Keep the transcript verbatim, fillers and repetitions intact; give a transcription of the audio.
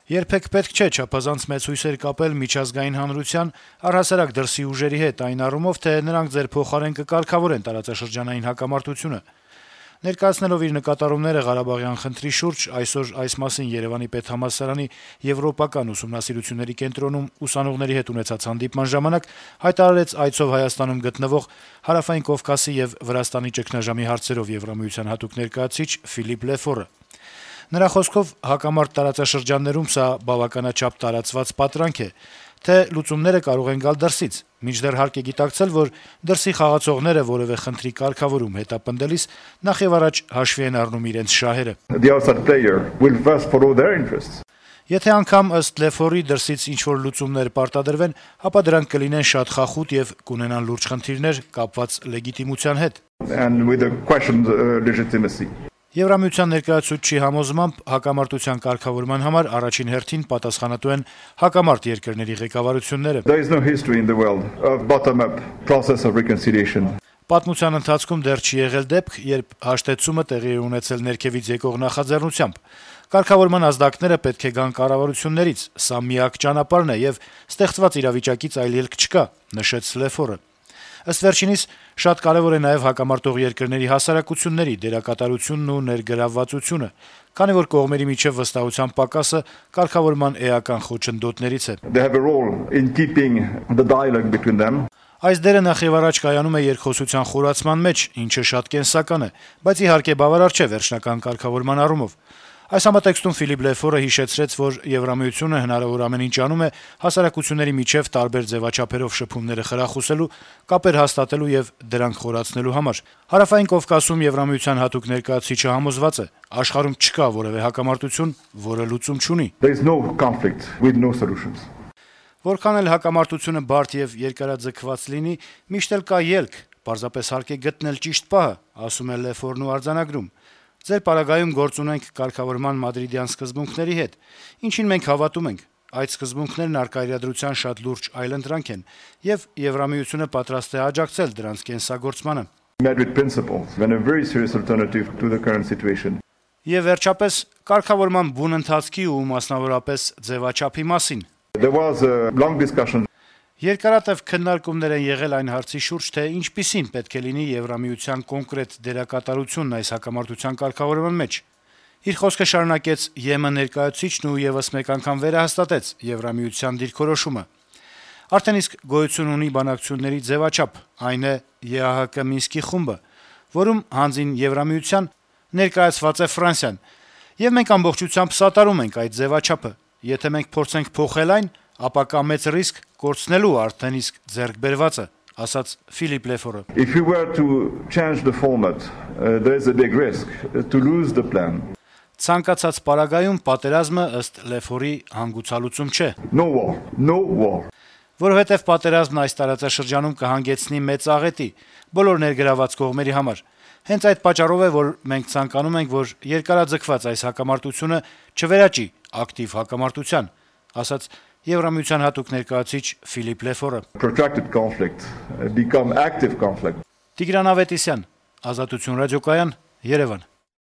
Երբեք պետք չէ չափազանց մեծ հույսեր կապել միջազգային հանրության, առհասարակ դրսի ուժերի հետ այն առումով, թե նրանք ձեր փոխարեն կկարգավորեն տարածաշրջանային հակամարտությունը։ Ներկայացնելով իր նկատառումները Ղարաբաղյան խնդրի շուրջ, այսօր այս մասին Երեւանի պետհամալսարանի եվրոպական ուսումնասիրությունների կենտրոնում ուսանողների հետ ունեցած հանդիպման ժամանակ հայտարարեց այցով Հայաստանում գտնվող Հարավային Կովկասի եւ Վրաստանի ճգնաժամի հարցերով Եվրամիության հատուկ ներկայացուցիչ Ֆիլիպ Լեֆորը։ Նրա խոսքով հակամարտ տարածաշրջաններում սա բավականաչափ տարածված պատրանք է, թե լուծումները կարող են գալ դրսից, մինչդեռ հարկ է գիտակցել, որ դրսի խաղացողները որևէ խնդրի կարգավորում հետապնդելիս նախ եւ առաջ հաշվի են առնում իրենց շահերը։ Եթե անգամ ըստ Լեֆորի դրսից ինչ-որ լուծումներ պարտադրվեն, ապա դրանք կլինեն շատ խախուտ եւ կունենան լուրջ խնդիրներ կապված լեգիտիմության հետ։ Եվրամիության ներկայացուցչի համոզմամբ հակամարտության կարգավորման համար առաջին հերթին պատասխանատու են հակամարտ երկրների ղեկավարությունները։ Պատմության ընթացքում դեռ չի եղել դեպք, երբ հաշտեցումը տեղի է ունեցել ներքևից եկող նախաձեռնությամբ։ Կարգավորման ազդակները պետք է գան կառավարություններից, սա միակ ճանապարհն է եւ ստեղծված իրավիճակից այլ ելք չկա, նշեց Լեֆորը։ Ըստ վերջինիս, շատ կարեւոր է նաեւ հակամարտող երկրների հասարակությունների դերակատարությունն ու ներգրավվածությունը, քանի որ կողմերի միջև վստահության պակասը կարգավորման էական խոչընդոտներից է։ Այս դերը նախ եւ առաջ կայանում է երկխոսության խորացման մեջ, ինչը շատ կենսական է, բայց իհարկե բավարար չէ վերջնական կարգավորման առումով։ Այս համատեքստում Ֆիլիպ Լեֆորը հիշեցրեց, որ Եվրամիությունը հնարավոր ամեն ինչ անում է հասարակությունների միջև տարբեր ձեւաչափերով շփումները խրախուսելու, կապեր հաստատելու եւ դրանք խորացնելու համար։ Հարավային Կովկասում Եվրամիության հատուկ ներկայացուցիչը համոզված է, աշխարհում չկա որեւէ հակամարտություն, որը լուծում չունի։ Որքան էլ հակամարտությունը բարդ եւ երկարաձգված լինի, միշտ էլ կա ելք, պարզապես հարկ է գտնել ճիշտ պահը, ասում է Լեֆորն ու արձանագրում։ Ձեր պարագայում գործ ունենք կարգավորման մադրիդյան սկզբունքների հետ, ինչին մենք հավատում ենք։ Այդ սկզբունքներն առկա իրադրության շատ լուրջ այլընտրանք են, եւ Եվրամիությունը պատրաստ է աջակցել դրանց կենսագործմանը։ Եվ վերջապես, կարգավորման բուն ընթացքի ու մասնավորապես ձևաչափի մասին։ Երկարատև քննարկումներ են եղել այն հարցի շուրջ, թե ինչպիսին պետք է լինի Եվրամիության կոնկրետ դերակատարությունն այս հակամարտության կարգավորման մեջ։ Իր խոսքը շարունակեց ԵՄ ներկայացուցիչն ու եւս մեկ անգամ վերահաստատեց Եվրամիության դիրքորոշումը։ Արդեն իսկ գոյություն ունի բանակցությունների ձևաչափ, այն է ԵԱՀԿ Մինսկի խումբը, որում հանձին Եվրամիության ներկայացված է Ֆրանսիան, եւ մենք ամբողջությամբ սատարում ենք այդ ձևաչափը։ Եթե մենք փորձենք փոխել այն, ապա կա մեծ ռիսկ կորցնելու արդեն իսկ ձեռք բերվածը, ասաց Ֆիլիպ Լեֆորը։ Ցանկացած պարագայում պատերազմը ըստ Լեֆորի հանգուցալուծում չէ։ Որովհետև պատերազմն այս տարածաշրջանում կհանգեցնի մեծ աղետի բոլոր ներգրաված կողմերի համար։ Հենց այդ պատճառով է, որ մենք ցանկանում ենք, որ երկարաձգված այս հակամարտությունը չվերաճի ակտիվ հակամարտության, ասաց Եվրամիության հատուկ ներկայացուցիչ Ֆիլիպ Լեֆորը։ Տիգրան Ավետիսյան, Ազատություն ռադիոկայան, Երևան։